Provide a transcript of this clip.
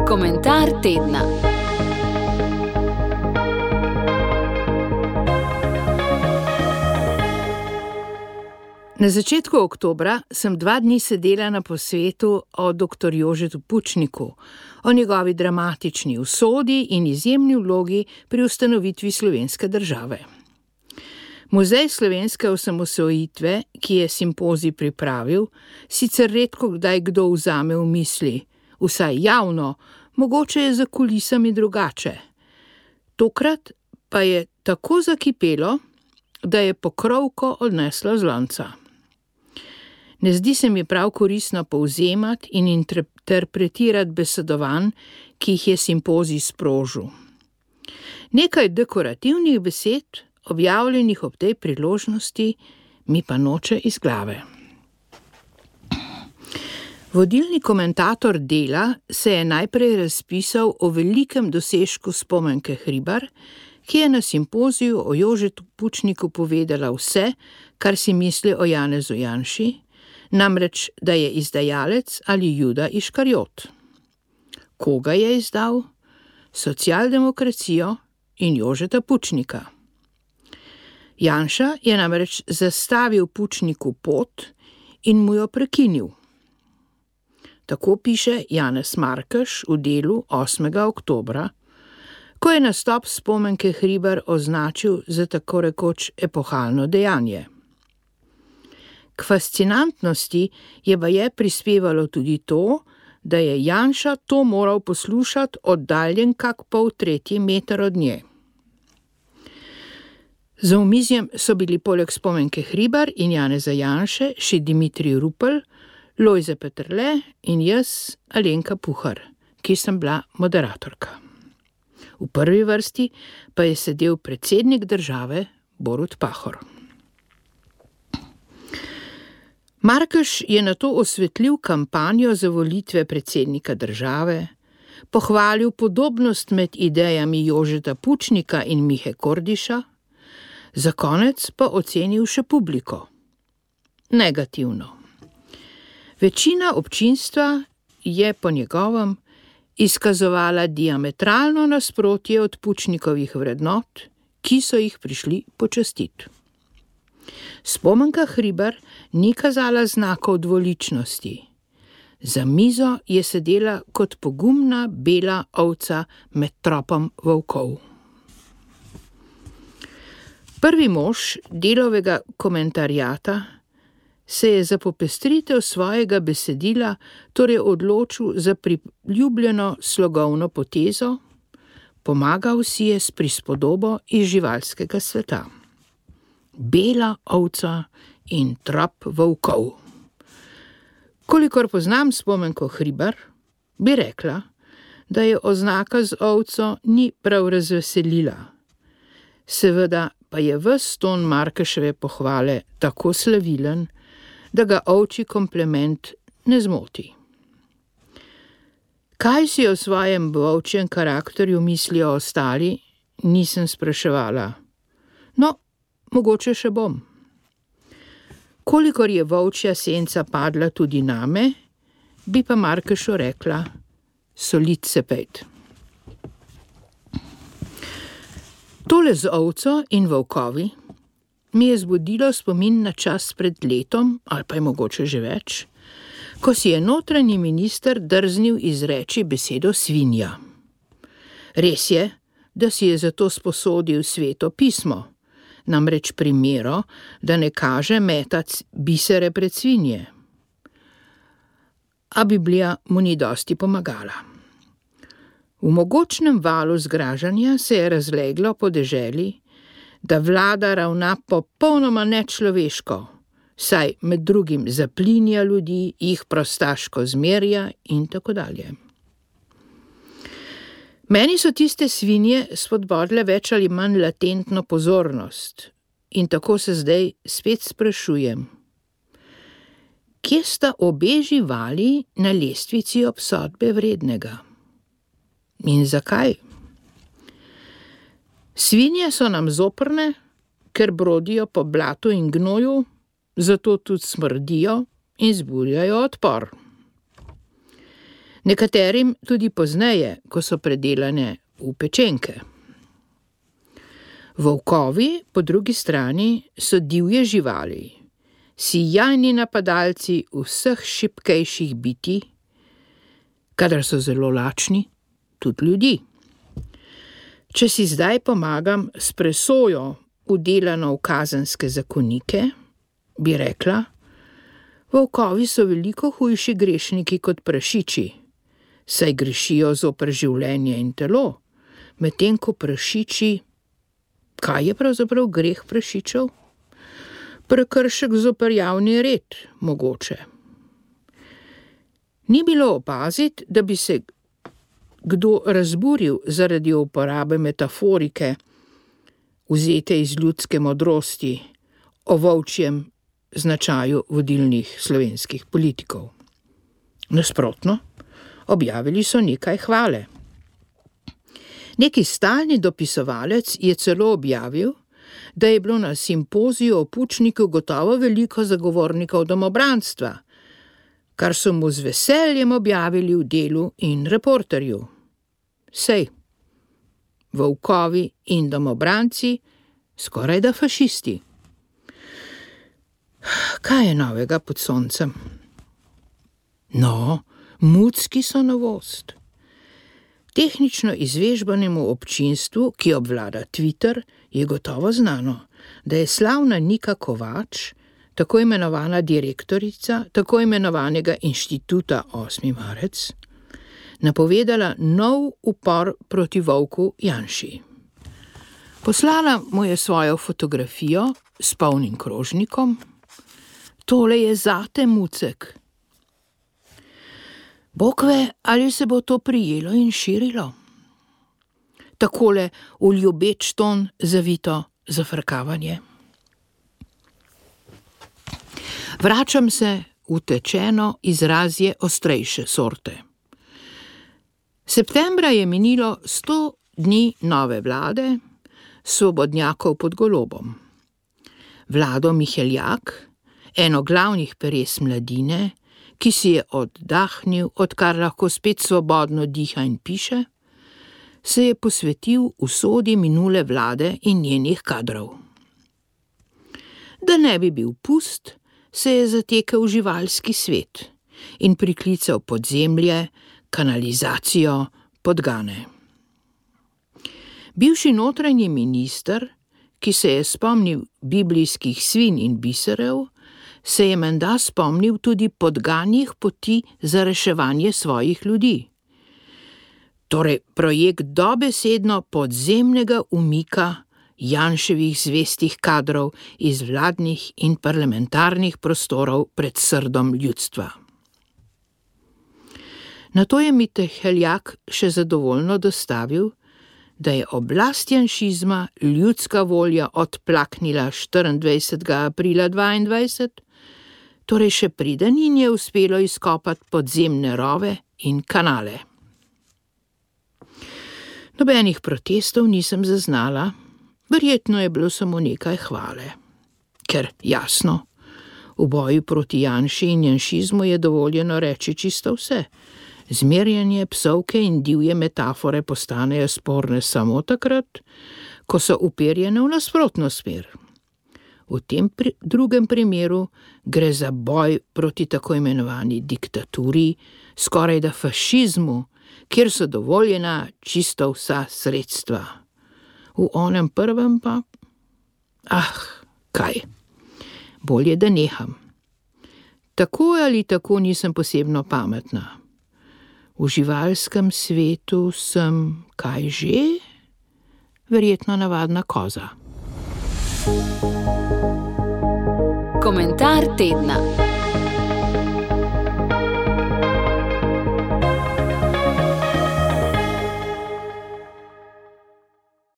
Komentar tedna. Na začetku oktobra sem 2 dni sedela na posvetu o dr. Jožetu Pučniku, o njegovi dramatični usodi in izjemni vlogi pri ustanovitvi slovenske države. Muzej slovenske osamosvojitve, ki je simpozij pripravil, sicer redko kdaj kdo vzame v misli, vsaj javno, mogoče je za kulisami drugače. Tokrat pa je tako zakipelo, da je pokrovko odneslo z lonca. Ne zdi se mi prav koristno povzemati in interpretirati besedovanj, ki jih je simpozij sprožil. Nekaj dekorativnih besed, objavljenih ob tej priložnosti, mi pa noče iz glave. Vodilni komentator Dela se je najprej razpisal o velikem dosežku Spomenke Hribar, ki je na simpoziju o Jožetu Pučniku povedala vse, kar si misli o Janezu Janši, namreč, da je izdajalec ali Juda Iškariot. Koga je izdal? Socialdemokracijo in Jožeta Pučnika. Janša je namreč zastavil Pučniku pot in mu jo prekinil. Tako piše Janez Markeš v Delu 8. oktobra, ko je nastop Spomenke Hribar označil za tako rekoč epohalno dejanje. K fascinantnosti je baje prispevalo tudi to, da je Janša to moral poslušati oddaljen kak 2/3 meter od nje. Za omizjem so bili poleg Spomenke Hribar in Janeza Janše še Dimitrij Rupel, Lojze Peterle in jaz, Alenka Puhar, ki sem bila moderatorka. V prvi vrsti pa je sedel predsednik države Borut Pahor. Markeš je nato osvetlil kampanjo za volitve predsednika države, pohvalil podobnost med idejami Jožeta Pučnika in Mihe Kordiša, za konec pa ocenil še publiko. Negativno. Večina občinstva je po njegovem izkazovala diametralno nasprotje od Pučnikovih vrednot, ki so jih prišli počastiti. Spomenka Hribar ni kazala znakov dvoličnosti. Za mizo je sedela kot pogumna bela ovca med tropom volkov. Prvi mož Delovega komentarjata se je za popestritev svojega besedila torej odločil za priljubljeno slogovno potezo, pomagal si je s prispodobo iz živalskega sveta. Bela ovca in trop volkov. Kolikor poznam Spomenko Hribar, bi rekla, da je oznaka z ovco ni prav razveselila. Seveda pa je ves ton Markeševe pohvale tako slavilen, da ga ovčji kompliment ne zmoti. Kaj si o svojem volčjem karakterju mislijo ostali, nisem spraševala. No, mogoče še bom. Kolikor je volčja senca padla tudi name, bi pa Markešu rekla, solit se pejt. Tole z ovco in volkovi mi je zbudilo spomin na čas pred letom, ali pa je mogoče že več, ko si je notranji minister drznil izreči besedo svinja. Res je, da si je zato sposodil Sveto pismo, namreč primero, da ne kaže metati bisere pred svinje. A Biblija mu ni dosti pomagala. V mogočnem valu zgražanja se je razleglo po deželi, da vlada ravna popolnoma nečloveško, saj med drugim zaplinja ljudi, jih prostaško zmerja in tako dalje. Meni so tiste svinje spodbodle več ali manj latentno pozornost in tako se zdaj spet sprašujem. Kje sta obe živali na lestvici obsodbe vrednega? In zakaj? Svinje so nam zoprne, ker brodijo po blatu in gnoju, zato tudi smrdijo in zbujajo odpor. Nekaterim tudi pozneje, ko so predelane v pečenke. Volkovi, po drugi strani, so divje živali, sijajni napadalci vseh šibkejših bitij, kadar so zelo lačni, tudi ljudi. Če si zdaj pomagam s presojo vdelano v kazenske zakonike, bi rekla, volkovi so veliko hujši grešniki kot prašiči, saj grešijo zoper življenje in telo, medtem ko prašiči, kaj je pravzaprav greh prašičev? Prekršek zoper javni red, mogoče. Ni bilo opaziti, da bi se kdo razburil zaradi uporabe metaforike, vzete iz ljudske modrosti, o volčjem značaju vodilnih slovenskih politikov. Nasprotno, objavili so nekaj hvale. Neki stalni dopisovalec je celo objavil, da je bilo na simpoziju o Pučniku gotovo veliko zagovornikov domobranstva, kar so mu z veseljem objavili v Delu in Reporterju. Sej, volkovi in domobranci, skorajda fašisti. Kaj je novega pod soncem? No, mucki so novost. Tehnično izvežbanemu občinstvu, ki obvlada Twitter, je gotovo znano, da je slavna Nika Kovač, tako imenovana direktorica tako imenovanega inštituta 8. marec, napovedala nov upor proti volku Janši. Poslala mu je svojo fotografijo s polnim krožnikom. Tole je zate, mucek. Bog ve, ali se bo to prijelo in širilo. Takole v ljubeč ton zavito zafrkavanje. Vračam se v tečeno izrazje ostrejše sorte. Septembra je minilo 100 dni nove vlade, svobodnjakov pod Golobom. Vlado Miheljak, eno glavnih peres mladine, ki si je oddahnil, odkar lahko spet svobodno diha in piše, se je posvetil usodi minule vlade in njenih kadrov. Da ne bi bil pust, se je zatekel v živalski svet in priklical podzemlje, kanalizacijo, podgane. Bivši notranji minister, ki se je spomnil biblijskih svin in biserov, se je menda spomnil tudi podganjih poti za reševanje svojih ljudi. Torej, projekt dobesedno podzemnega umika Janševih zvestih kadrov iz vladnih in parlamentarnih prostorov pred srdom ljudstva. Nato je Miheljak še zadovoljno dostavil, da je oblast janšizma ljudska volja odplaknila 24. aprila 22, torej še preden jim je uspelo izkopati podzemne rove in kanale. Nobenih protestov nisem zaznala, verjetno je bilo samo nekaj hvale. Ker, jasno, v boju proti Janši in janšizmu je dovoljeno reči čisto vse. Zmerjanje, psovke in divje metafore postanejo sporne samo takrat, ko so uperjene v nasprotno smer. V tem drugem primeru gre za boj proti tako imenovani diktaturi, skorajda fašizmu, kjer so dovoljena čisto vsa sredstva. V onem prvem pa, kaj, bolje da neham. Tako ali tako nisem posebno pametna. V živalskem svetu sem, kaj že? Verjetno navadna koza. Komentar tedna.